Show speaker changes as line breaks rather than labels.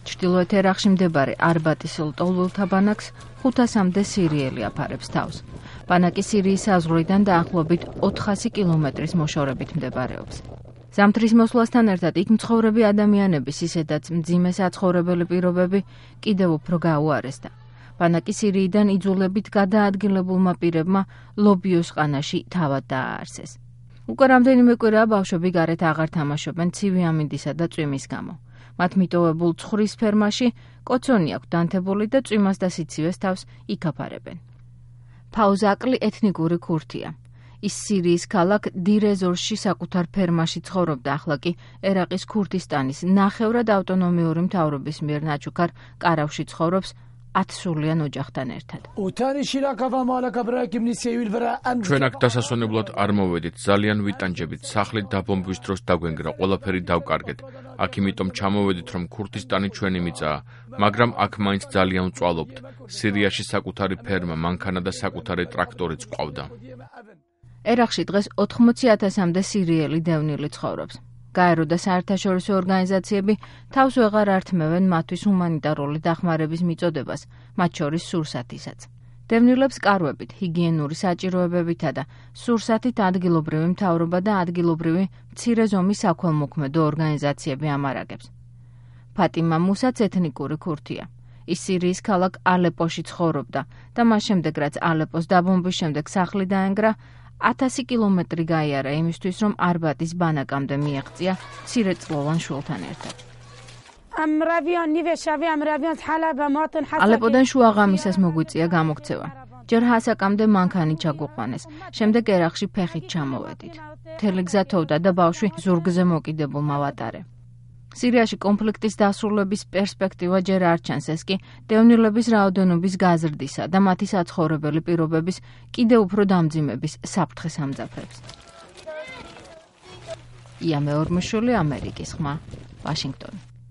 ჩრდილოეთ ერაყში მდებარე არბატის ლტოლვილთა ბანაკს 500-მდე სირიელი აფარებს თავს. ბანაკი სირიის საზღვრიდან დაახლოებით 400 კილომეტრის მოშორებით მდებარეობს. ზამთრის მოსვლასთან ერთად იქ მცხოვრები ადამიანების ისედაც მძიმე საცხოვრებელი პირობები კიდევ უფრო გაუარესდა. ბანაკი სირიიდან იძულებით გადაადგილებულმა პირებმა ლობიოს ყანაში თავად დააარსეს. უკვე რამდენიმე კვირაა ბავშვები გარეთ აღარ თამაშობენ ცივი ამინდისა და წვიმის გამო. მათ მიტოვებულ ცხრის ფერმაში კოცონი აქვს დანთებული და წვიმას და სიცივეს თავს იქაფარებენ. ფაუზაკლი ეთნიკური ქურთია. ის სირიის ქალაქ დირეზორში საკუთარ ფერმაში ცხოვრობდა, ახლა კი ერაყის ქურთისტანის ნახევრად ავტონომიური მთავრობის მიერ ნაჩუქარ კარავში ცხოვრობს 10 სულიან ოჯახთან ერთად.
ჩვენ აქ დასასვენებლად არ მოვედით, ძალიან ვიტანჯებით, სახლი დაბომბვის დროს დაგვენგრა, ყველაფერი დავკარგეთ. აქ იმიტომ ჩამოვედით, რომ ქურთისტანი ჩვენი მიწაა, მაგრამ აქ მაინც ძალიან ვწვალობთ. სირიაში საკუთარი ფერმა, მანქანა და საკუთარი ტრაქტორიც ყავდა.
ერაყში დღეს 80,000-მდე სირიელი დევნილი ცხოვრობს. გაერო და საერთაშორისო ორგანიზაციები თავს ვეღარ ართმევენ მათთვის ჰუმანიტარული დახმარების მიწოდებას, მათ შორის სურსათისაც. დევნილებს კარვებით, ჰიგიენური საჭიროებებითა და სურსათით ადგილობრივი მთავრობა და ადგილობრივი მცირე ზომის საქველმოქმედო ორგანიზაციები ამარაგებს. ფატიმა მუსაც ეთნიკური ქურთია. ის სირიის ქალაქ ალეპოში ცხოვრობდა და მას შემდეგ, რაც ალეპოს დაბომბვის შემდეგ სახლი დაენგრა, 1000 კილომეტრი გაიარა იმისთვის, რომ არბატის ბანაკამდე მიაღწია მცირეწლოვან შვილთან ერთად. ალეპოდან შუაღამისას მოგვიწია გამოქცევა. ჯერ ჰასაკამდე მანქანით ჩაგვიყვანეს, შემდეგ ერაყში ფეხით ჩამოვედით. მთელი გზა თოვდა და ბავშვი ზურგზე მოკიდებულმა ვატარე. სირიაში კონფლიქტის დასრულების პერსპექტივა ჯერ არ ჩანს, ეს კი დევნილების რაოდენობის გაზრდისა და მათი საცხოვრებელი პირობების კიდევ უფრო დამძიმების საფრთხეს ამძაფრებს. ია მეორმოშვილი, ამერიკის ხმა, ვაშინგტონი.